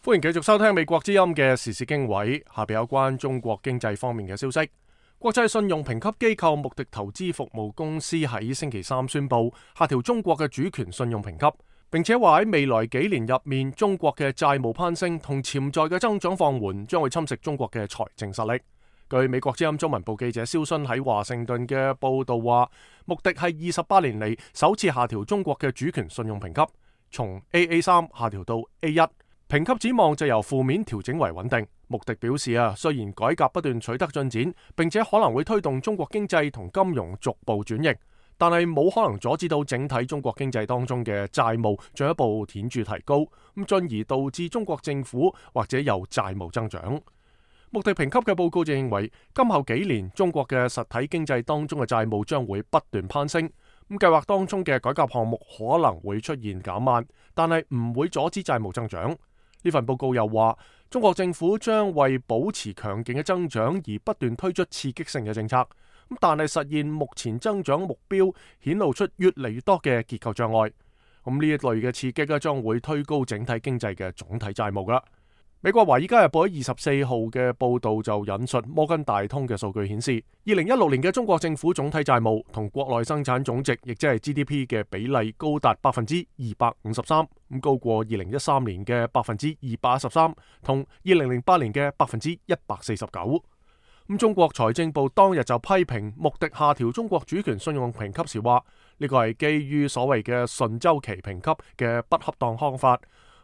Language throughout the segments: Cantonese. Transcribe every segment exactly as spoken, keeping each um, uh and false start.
歡迎繼續收聽美國之音嘅時事經緯，下邊有關中國經濟方面嘅消息。國際信用評級機構穆迪投資服務公司喺星期三宣布下調中國嘅主權信用評級，並且話喺未來幾年入面，中國嘅債務攀升同潛在嘅增長放緩將會侵蝕中國嘅財政實力。據美國之音中文部記者蕭순喺華盛頓嘅報道話，穆迪係二十八年嚟首次下調中國嘅主權信用評級，從 A A 三 下調到 A 一。評級展望就由負面調整為穩定。穆迪表示啊，雖然改革不斷取得進展，並且可能會推動中國經濟同金融逐步轉型，但係冇可能阻止到整體中國經濟當中嘅債務進一步顯著提高，咁進而導致中國政府或者有債務增長。穆迪評級嘅報告就認為，今後幾年中國嘅實體經濟當中嘅債務將會不斷攀升，咁計劃當中嘅改革項目可能會出現減慢，但係唔會阻止債務增長。呢份報告又話，中國政府將為保持強勁嘅增長而不斷推出刺激性嘅政策，咁但係實現目前增長目標顯露出越嚟越多嘅結構障礙。咁呢一類嘅刺激咧，將會推高整體經濟嘅總體債務噶。美國華爾街日報喺二十四號嘅報道就引述摩根大通嘅數據顯示，二零一六年嘅中國政府總體債務同國內生產總值，亦即係 G D P 嘅比例高達百分之二百五十三，咁高過二零一三年嘅百分之二百一十三，同二零零八年嘅百分之一百四十九。咁中國財政部當日就批評穆迪下調中國主權信用評級時話，呢個係基於所謂嘅順周期評級嘅不恰當方法。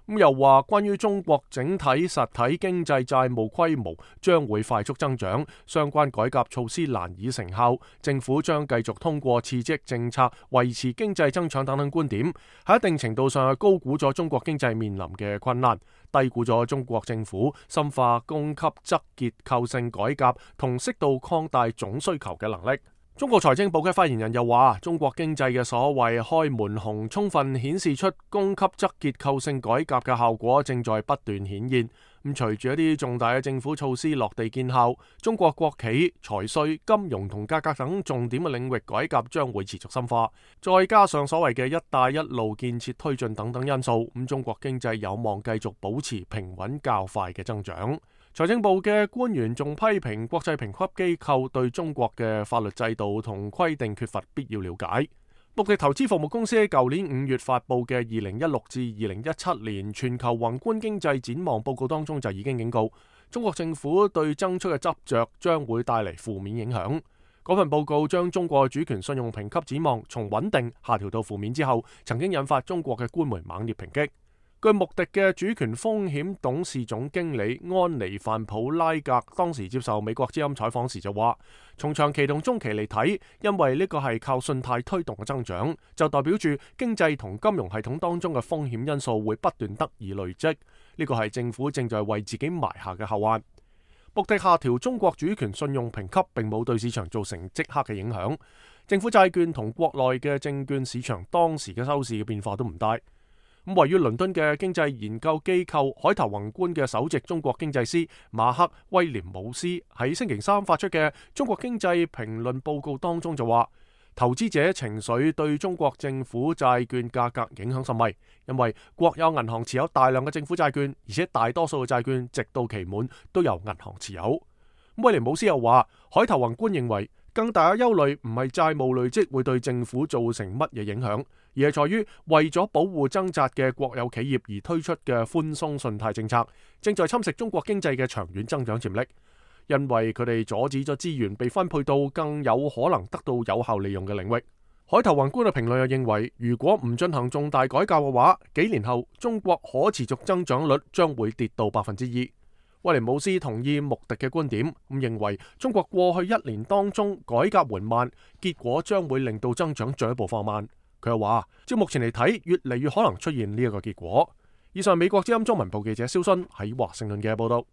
咁又話，關於中國整體實體經濟債務規模將會快速增長，相關改革措施難以成效，政府將繼續通過刺激政策維持經濟增長等等觀點，喺一定程度上係高估咗中國經濟面臨嘅困難，低估咗中國政府深化供給側結構性改革同適度擴大總需求嘅能力。中國財政部嘅發言人又話，中國經濟嘅所謂開門紅充分顯示出供給側結構性改革嘅效果正在不斷顯現。咁隨住一啲重大嘅政府措施落地見效，中國國企、財稅、金融同價格等重點嘅領域改革將會持續深化。再加上所謂嘅一帶一路建設推進等等因素，咁中國經濟有望繼續保持平穩較快嘅增長。財政部嘅官員仲批評國際評級機構對中國嘅法律制度同規定缺乏必要了解。穆迪投資服務公司喺舊年五月發布嘅二零一六至二零一七年全球宏觀經濟展望報告當中就已經警告，中國政府對增速嘅執着將會帶嚟負面影響。嗰份報告將中國主權信用評級展望從穩定下調到負面之後，曾經引發中國嘅官媒猛烈抨擊。據穆迪嘅主權風險董事總經理安妮范普拉格當時接受美國之音採訪時就話，從長期同中期嚟睇，因為呢個係靠信貸推動嘅增長，就代表住經濟同金融系統當中嘅風險因素會不斷得以累積，呢個係政府正在為自己埋下嘅後患。穆迪下調中國主權信用評級並冇對市場造成即刻嘅影響，政府債券同國內嘅證券市場當時嘅收市嘅變化都唔大。咁位於倫敦嘅經濟研究機構海頭宏觀嘅首席中國經濟師馬克威廉姆斯喺星期三發出嘅中國經濟評論報告當中就話，投資者情緒對中國政府債券價格影響甚微，因為國有銀行持有大量嘅政府債券，而且大多數嘅債券直到期滿都由銀行持有。威廉姆斯又話，海頭宏觀認為更大嘅憂慮唔係債務累積會對政府造成乜嘢影響，而係在於為咗保護掙扎嘅國有企業而推出嘅寬鬆信貸政策，正在侵蝕中國經濟嘅長遠增長潛力，因為佢哋阻止咗資源被分配到更有可能得到有效利用嘅領域。海頭宏觀嘅評論又認為，如果唔進行重大改革嘅話，幾年後中國可持續增長率將會跌到百分之二。威廉姆斯同意穆迪嘅觀點，咁認為中國過去一年當中改革緩慢，結果將會令到增長進一步放慢。佢又話，照目前嚟睇，越嚟越可能出現呢一個結果。以上美國之音中文部記者蕭순喺華盛頓嘅報道。